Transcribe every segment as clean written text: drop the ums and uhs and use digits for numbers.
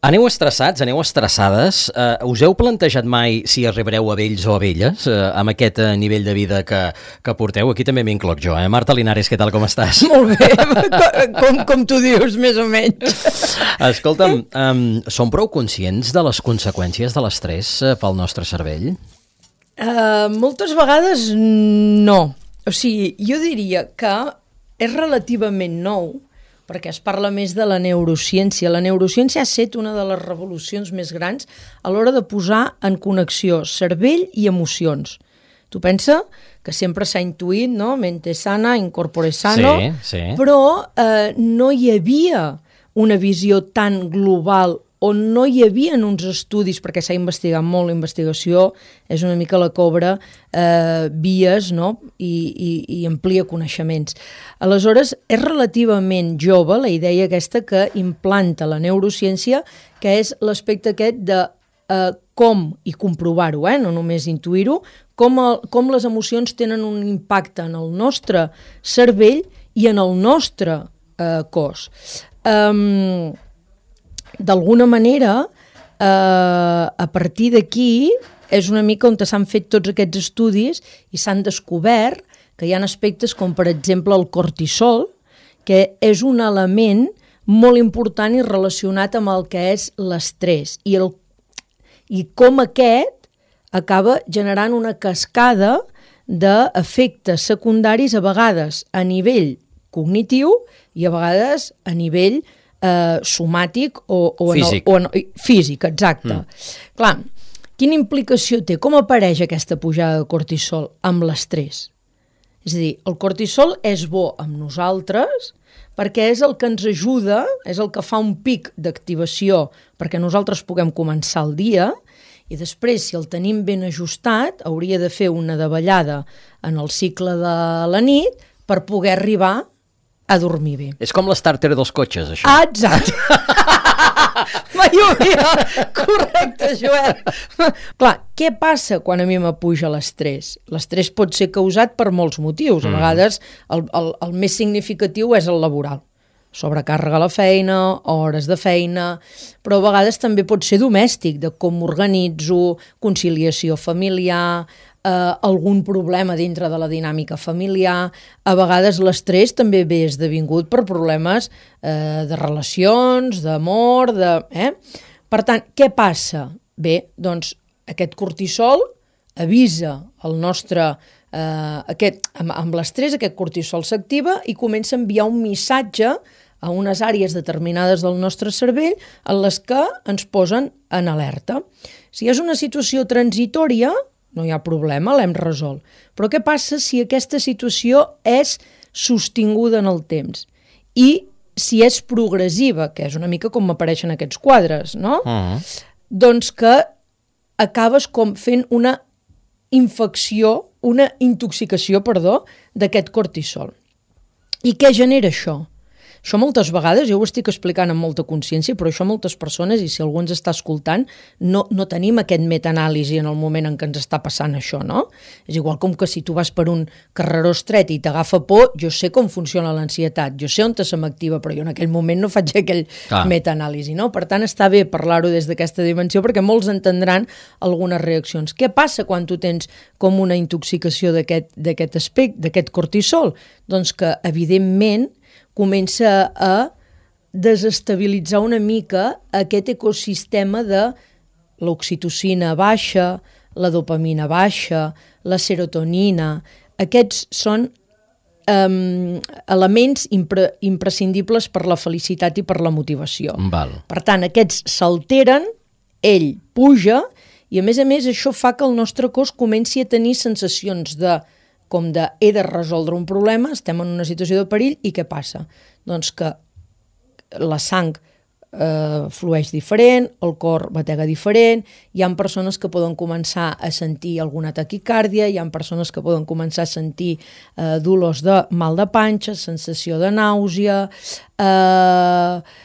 Aneu estressats, aneu estressades. Us heu plantejat mai si arribareu a vells o a velles amb aquest nivell de vida que porteu? Aquí també m'incloc jo, eh? Marta Linares, què tal, com estàs? Molt bé, com tu dius, més o menys. Escolta'm, som prou conscients de les conseqüències de l'estrès pel nostre cervell? Moltes vegades no. O sigui, jo diria que és relativament nou, perquè es parla més de la neurociència. La neurociència ha estat una de les revolucions més grans a l'hora de posar en connexió cervell i emocions. Tu pensa que sempre s'ha intuït, no? Mente sana, incorpore sano, sí. Però no hi havia una visió tan global o no hi havia uns estudis, perquè s'ha investigat molt, la investigació és una mica la que obre vies, no? I amplia coneixements. Aleshores, és relativament jove la idea aquesta que implanta la neurociència, que és l'aspecte aquest de com, i comprovar-ho, no només intuir-ho, com les emocions tenen un impacte en el nostre cervell i en el nostre cos. D'alguna manera, a partir d'aquí, és una mica on s'han fet tots aquests estudis i s'han descobert que hi ha aspectes com, per exemple, el cortisol, que és un element molt important i relacionat amb el que és l'estrès i com aquest acaba generant una cascada d'efectes secundaris, a vegades a nivell cognitiu i a vegades a nivell somàtic o físic. Físic, exacte. Clar, quina implicació té? Com apareix aquesta pujada de cortisol amb l'estrès? És a dir, el cortisol és bo amb nosaltres perquè és el que ens ajuda, és el que fa un pic d'activació perquè nosaltres puguem començar el dia, i després, si el tenim ben ajustat, hauria de fer una davallada en el cicle de la nit per poder arribar a dormir bé. És com l'estàrter dels cotxes, això. Ah, exacte. Mai ho havia... Correcte, Joel. Clar, què passa quan a mi m'apuja l'estrès? L'estrès pot ser causat per molts motius. A vegades el més significatiu és el laboral. Sobrecàrrega a la feina, hores de feina, però a vegades també pot ser domèstic, de com m'organitzo, conciliació familiar, algun problema dintre de la dinàmica familiar. A vegades l'estrès també ve esdevingut per problemes de relacions, d'amor, Per tant, què passa? Bé, doncs aquest cortisol avisa el nostre... amb l'estrès aquest cortisol s'activa i comença a enviar un missatge a unes àrees determinades del nostre cervell en les que ens posen en alerta. Si és una situació transitòria, no hi ha problema, l'hem resolt. Però què passa si aquesta situació és sostinguda en el temps? I si és progressiva, que és una mica com apareixen aquests quadres, no? Doncs que acabes com fent una intoxicació, d'aquest cortisol. I què genera això? Això moltes vegades, jo ho estic explicant amb molta consciència, però això moltes persones, i si algú ens està escoltant, no tenim aquest metaanàlisi en el moment en què ens està passant això, no? És igual com que si tu vas per un carreró estret i t'agafa por, jo sé com funciona l'ansietat, jo sé on se m'activa, però jo en aquell moment no faig aquell metaanàlisi, no? Per tant, està bé parlar-ho des d'aquesta dimensió perquè molts entendran algunes reaccions. Què passa quan tu tens com una intoxicació d'aquest aspecte, d'aquest cortisol? Doncs que, evidentment, comença a desestabilitzar una mica aquest ecosistema de l'oxitocina baixa, la dopamina baixa, la serotonina. Aquests són elements imprescindibles per la felicitat i per la motivació. Val. Per tant, aquests s'alteren, ell puja, i a més això fa que el nostre cos comenci a tenir sensacions com de he de resoldre un problema, estem en una situació de perill, i què passa? Doncs que la sang flueix diferent, el cor batega diferent, hi ha persones que poden començar a sentir alguna taquicàrdia, hi ha persones que poden començar a sentir dolors de mal de panxa, sensació de nàusea,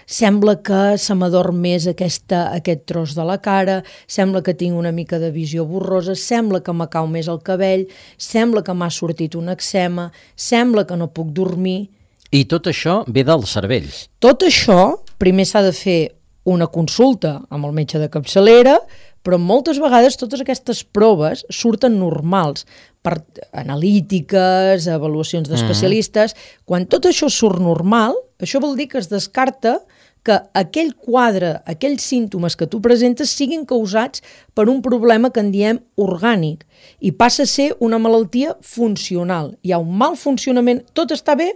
sembla que se m'adorm més aquest tros de la cara, sembla que tinc una mica de visió borrosa, sembla que m'acau més el cabell, sembla que m'ha sortit un eczema, sembla que no puc dormir. I tot això ve del cervell. Tot això, primer s'ha de fer una consulta amb el metge de capçalera, però moltes vegades totes aquestes proves surten normals per analítiques, avaluacions d'especialistes. Quan tot això surt normal, això vol dir que es descarta que aquell quadre, aquells símptomes que tu presentes siguin causats per un problema que en diem orgànic i passa a ser una malaltia funcional. Hi ha un mal funcionament, tot està bé,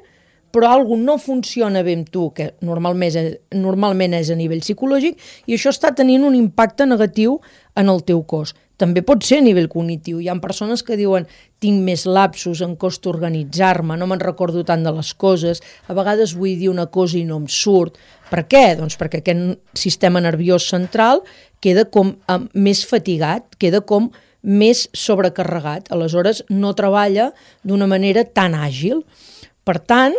però alguna no funciona bé amb tu, que normalment és a nivell psicològic, i això està tenint un impacte negatiu en el teu cos. També pot ser a nivell cognitiu. Hi ha persones que diuen tinc més lapsus, em costa organitzar-me, no me'n recordo tant de les coses, a vegades vull dir una cosa i no em surt. Per què? Doncs perquè aquest sistema nerviós central queda com més fatigat, queda com més sobrecarregat, aleshores no treballa d'una manera tan àgil. Per tant,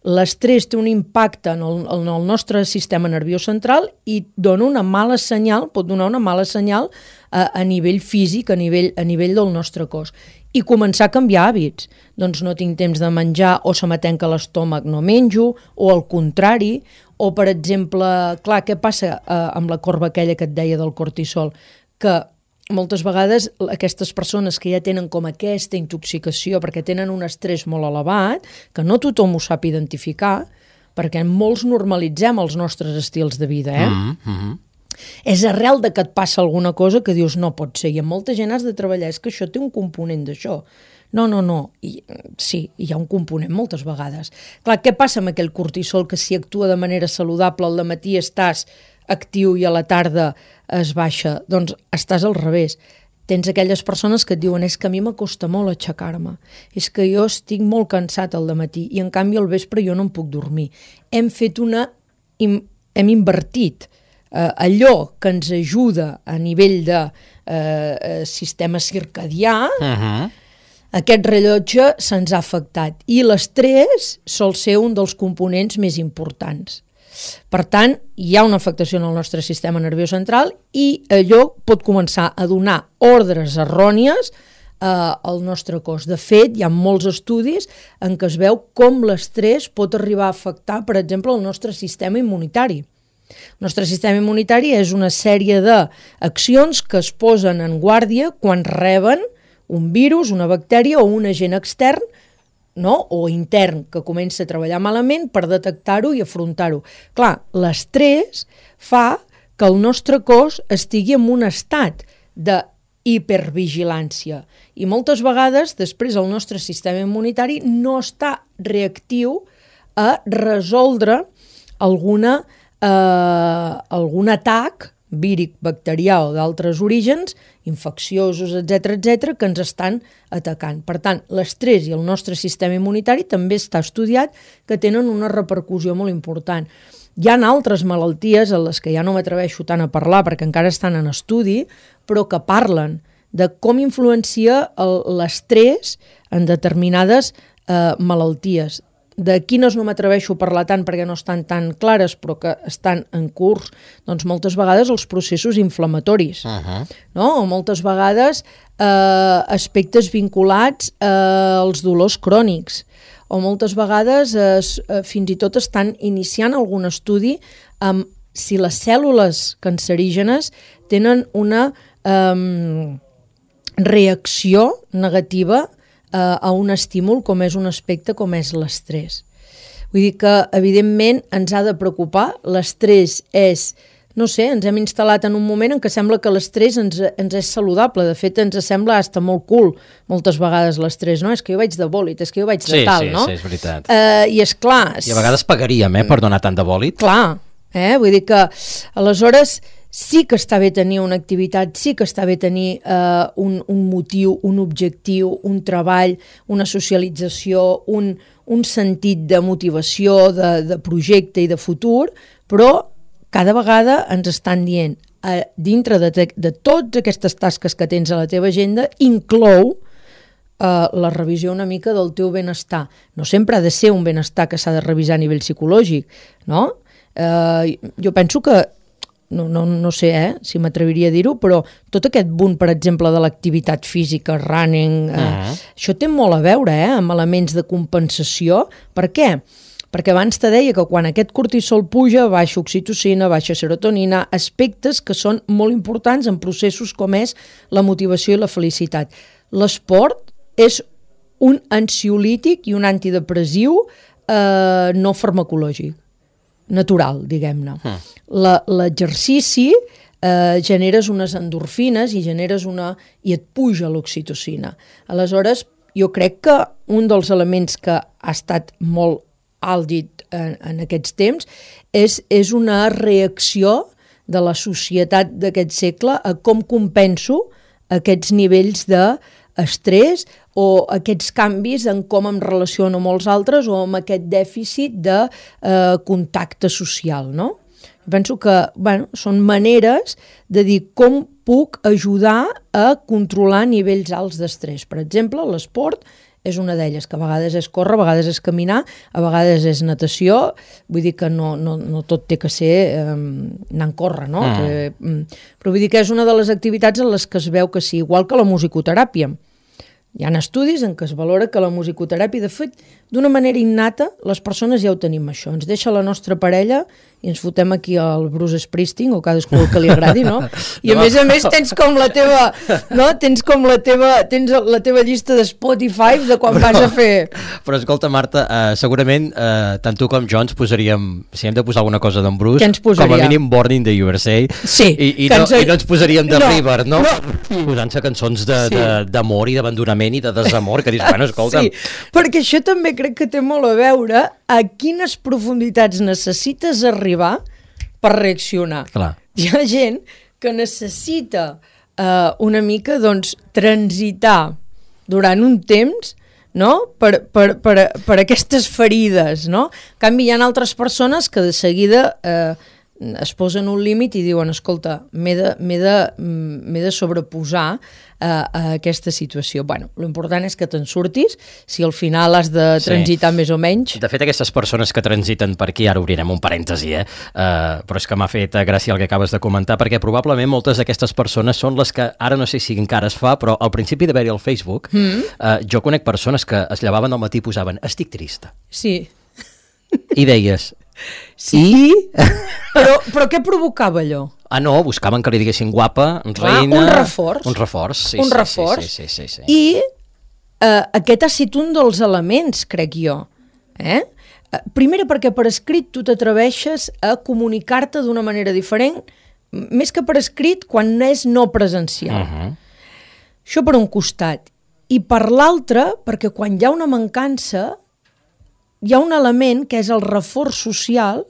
l'estrès té un impacte en el nostre sistema nerviós central i dona una mala senyal, pot donar una mala senyal a nivell físic, a nivell del nostre cos. I començar a canviar hàbits. Doncs no tinc temps de menjar o se m'atenca l'estómac, no menjo, o al contrari, o per exemple, clar, què passa amb la corba aquella que et deia del cortisol? Que moltes vegades aquestes persones que ja tenen com aquesta intoxicació perquè tenen un estrès molt elevat, que no tothom ho sap identificar, perquè molts normalitzem els nostres estils de vida, És arrel de que et passa alguna cosa que dius no pot ser, i amb molta gent has de treballar, és que això té un component d'això. No. Sí, hi ha un component moltes vegades. Clar, què passa amb aquell cortisol que si actua de manera saludable al matí estàs actiu i a la tarda es baixa? Doncs estàs al revés. Tens aquelles persones que et diuen és que a mi m'acosta molt aixecar-me, és que jo estic molt cansat al dematí i en canvi al vespre jo no em puc dormir. Hem invertit allò que ens ajuda a nivell de sistema circadià, aquest rellotge se'ns ha afectat i l'estrès sol ser un dels components més importants. Per tant, hi ha una afectació en el nostre sistema nerviós central i allò pot començar a donar ordres errònies al nostre cos. De fet, hi ha molts estudis en què es veu com l'estrès pot arribar a afectar, per exemple, el nostre sistema immunitari. El nostre sistema immunitari és una sèrie d'accions que es posen en guàrdia quan reben un virus, una bactèria o un agent extern, o intern, que comença a treballar malament per detectar-ho i afrontar-ho. Clar, l'estrès fa que el nostre cos estigui en un estat d'hipervigilància i moltes vegades després el nostre sistema immunitari no està reactiu a resoldre algun atac víric, bacterià o d'altres orígens, infecciosos, etc., que ens estan atacant. Per tant, l'estrès i el nostre sistema immunitari també està estudiat que tenen una repercussió molt important. Hi ha altres malalties en les que ja no m'atreveixo tant a parlar perquè encara estan en estudi, però que parlen de com influencia l'estrès en determinades malalties. De quines no m'atreveixo a parlar tant perquè no estan tan clares però que estan en curs, doncs moltes vegades els processos inflamatoris, o moltes vegades aspectes vinculats als dolors crònics, o moltes vegades fins i tot estan iniciant algun estudi amb si les cèl·lules cancerígenes tenen una reacció negativa a un estímul com és un aspecte com és l'estrès. Vull dir que, evidentment, ens ha de preocupar. L'estrès és, no sé, ens hem instal·lat en un moment en què sembla que l'estrès ens és saludable. De fet, ens sembla hasta molt cool moltes vegades l'estrès, no? És que jo vaig de bòlit, és que jo vaig de tal, no? Sí, és veritat. I és clar... I a vegades pagaríem, per donar tant de bòlit. Clar, vull dir que, aleshores... Sí que està bé tenir una activitat, sí que està bé tenir un motiu, un objectiu, un treball, una socialització, un sentit de motivació, de projecte i de futur, però cada vegada ens estan dient, dintre de totes aquestes tasques que tens a la teva agenda, inclou la revisió una mica del teu benestar. No sempre ha de ser un benestar que s'ha de revisar a nivell psicològic, no? Jo penso que no sé si m'atreviria a dir-ho, però tot aquest boom, per exemple, de l'activitat física, running, això té molt a veure amb elements de compensació. Per què? perquè abans te deia que quan aquest cortisol puja, baixa oxitocina, baixa serotonina, aspectes que són molt importants en processos com és la motivació i la felicitat. L'esport és un ansiolític i un antidepressiu no farmacològic, natural, diguem-ne. L'exercici generes unes endorfines i i et puja l'oxitocina. Aleshores, jo crec que un dels elements que ha estat molt àlgid en aquests temps és una reacció de la societat d'aquest segle a com compenso aquests nivells d'estrès o aquests canvis en com em relaciono amb els altres o amb aquest dèficit de contacte social, no? Penso que són maneres de dir com puc ajudar a controlar nivells alts d'estrès. Per exemple, l'esport és una d'elles, que a vegades és córrer, a vegades és caminar, a vegades és natació, vull dir que no tot té que ser anar a córrer, no? Però vull dir que és una de les activitats en les que es veu que sí, igual que la musicoteràpia. Hi ha estudis en què es valora que la musicoteràpia, de fet, d'una manera innata, les persones ja ho tenim això. Ens deixa la nostra parella i ens fotem aquí al Bruce Springsteen o cadascú el que li agradi, no? I a més tens com la teva, no? Tens la teva llista de Spotify de quan vas a fer... Però escolta, Marta, segurament tant tu com jo ens posaríem, si hem de posar alguna cosa d'en Bruce, com a mínim Born in the USA, sí, i no ens posaríem de River, no? Posant-se cançons d'amor i d'abandonament i de desamor, que dius, bueno, escolta'm... Sí, perquè això també crec que té molt a veure a quines profunditats necessites arribar per reaccionar. Clar. Hi ha gent que necessita una mica, doncs, transitar durant un temps, no? per aquestes ferides, no? En canvi, hi ha altres persones que de seguida es posen un límit i diuen, escolta, m'he de sobreposar a aquesta situació. Bueno, l'important és que te'n surtis, si al final has de transitar més o menys. De fet, aquestes persones que transiten per aquí, ara obrirem un parèntesi, però és que m'ha fet gràcia el que acabes de comentar, perquè probablement moltes d'aquestes persones són les que, ara no sé si encara es fa, però al principi d'haver-hi al Facebook, jo conec persones que es llevaven al matí i posaven, estic trista. Sí. I deies... Sí, però què provocava allò? Ah, no, buscaven que li diguessin guapa, reina... Un reforç. Un reforç, sí. Un reforç. Sí. I aquest ha estat un dels elements, crec jo. Primera, perquè per escrit tu t'atreveixes a comunicar-te d'una manera diferent, més que per escrit, quan és no presencial. Això per un costat. I per l'altre, perquè quan hi ha una mancança... hi ha un element que és el reforç social,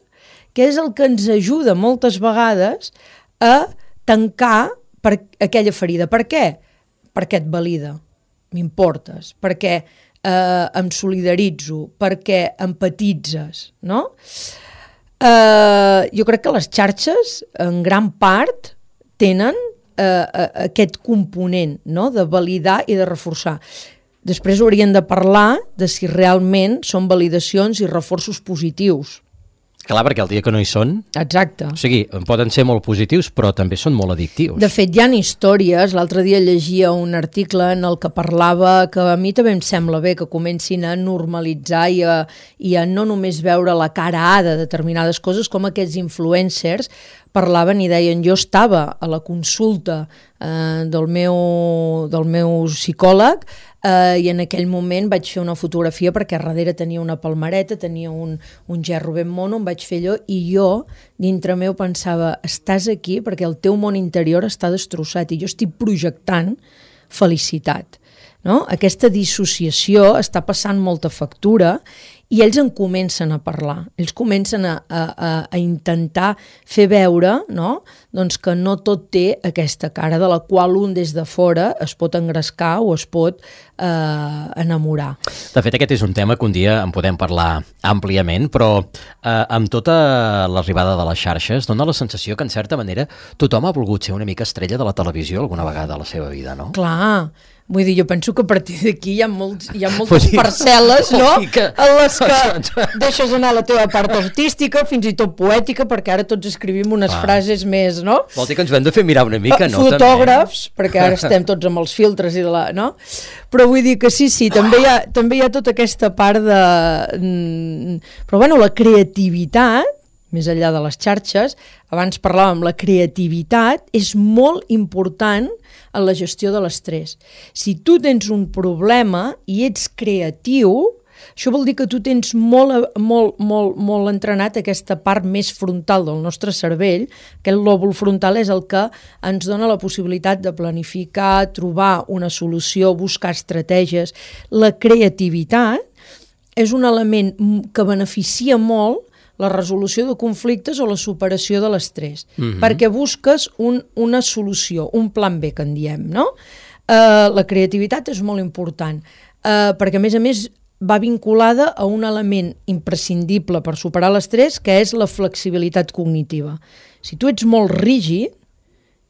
que és el que ens ajuda moltes vegades a tancar per aquella ferida. Per què? Perquè et valida, m'importes, perquè em solidaritzo, perquè empatitzes, no? Jo crec que les xarxes, en gran part, tenen aquest component, no? De validar i de reforçar. Després haurien de parlar de si realment són validacions i reforços positius. Clar, perquè el dia que no hi són... Exacte. O sigui, poden ser molt positius, però també són molt addictius. De fet, hi ha històries. L'altre dia llegia un article en el que parlava que a mi també em sembla bé que comencin a normalitzar i a no només veure la cara A de determinades coses, com aquests influencers parlaven i deien, jo estava a la consulta del meu psicòleg i en aquell moment vaig fer una fotografia perquè darrere tenia una palmereta, tenia un gerro ben mono, em vaig fer allò i jo dintre meu pensava, estàs aquí perquè el teu món interior està destrossat i jo estic projectant felicitat. No? Aquesta dissociació està passant molta factura i ells en comencen a parlar, ells comencen a intentar fer veure, no? Doncs que no tot té aquesta cara de la qual un des de fora es pot engrescar o es pot enamorar. De fet, aquest és un tema que un dia en podem parlar àmpliament, però amb tota l'arribada de les xarxes dona la sensació que, en certa manera, tothom ha volgut ser una mica estrella de la televisió alguna vegada a la seva vida, no? Clar, Vull dir, jo penso que a partir d'aquí hi ha moltes parcel·les, no?, en les que deixes anar la teva part artística, fins i tot poètica, perquè ara tots escrivim unes frases més, no? Vol dir que ens ho hem de fer mirar una mica, no? Fotògrafs, perquè ara estem tots amb els filtres i no? Però vull dir que sí, també hi ha tota aquesta part de... Però bueno, la creativitat, més enllà de les xarxes, abans parlàvem, la creativitat és molt important en la gestió de l'estrès. Si tu tens un problema i ets creatiu, això vol dir que tu tens molt entrenat aquesta part més frontal del nostre cervell, que el lòbul frontal és el que ens dona la possibilitat de planificar, trobar una solució, buscar estratègies. La creativitat és un element que beneficia molt la resolució de conflictes o la superació de l'estrès, perquè busques una solució, un plan B, que en diem, no? La creativitat és molt important, perquè a més va vinculada a un element imprescindible per superar l'estrès, que és la flexibilitat cognitiva. Si tu ets molt rígid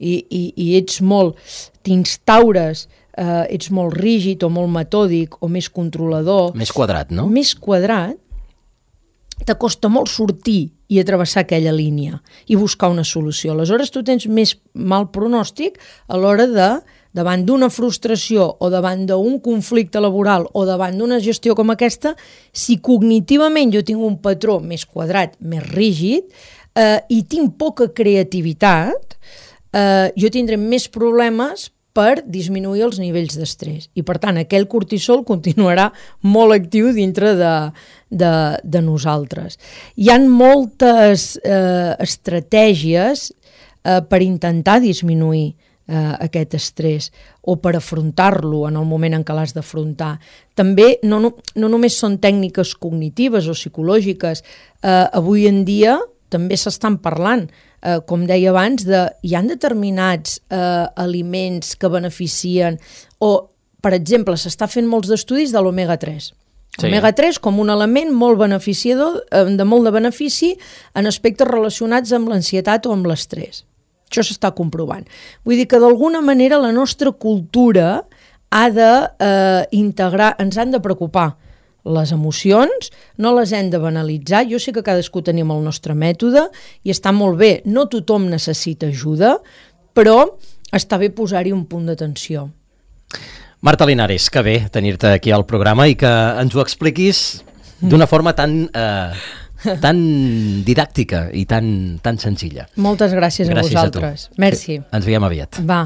i ets molt... t'instaures, ets molt rígid o molt metòdic o més controlador... Més quadrat, no? Més quadrat, t'acosta molt sortir i travessar aquella línia i buscar una solució. Aleshores, tu tens més mal pronòstic a l'hora de, davant d'una frustració o davant d'un conflicte laboral o davant d'una gestió com aquesta, si cognitivament jo tinc un patró més quadrat, més rígid, i tinc poca creativitat, jo tindré més problemes per disminuir els nivells d'estrès. I, per tant, aquell cortisol continuarà molt actiu dintre de nosaltres. Hi ha moltes estratègies per intentar disminuir aquest estrès o per afrontar-lo en el moment en què l'has d'afrontar. També no només són tècniques cognitives o psicològiques. Avui en dia també s'estan parlant, com deia abans, hi ha determinats aliments que beneficien, o, per exemple, s'està fent molts d'estudis de l'omega-3. Sí. Omega-3 com un element molt beneficiador, de molt de benefici en aspectes relacionats amb l'ansietat o amb l'estrès. Això s'està comprovant. Vull dir que d'alguna manera la nostra cultura ha d'integrar, ens han de preocupar les emocions, no les hem de banalitzar. Jo sé que cadascú tenim el nostre mètode i està molt bé, no tothom necessita ajuda, però està bé posar-hi un punt d'atenció. Marta Linares, que bé tenir-te aquí al programa i que ens ho expliquis d'una forma tan didàctica i tan senzilla. Moltes gràcies a vosaltres. Merci. Ens veiem aviat. Va.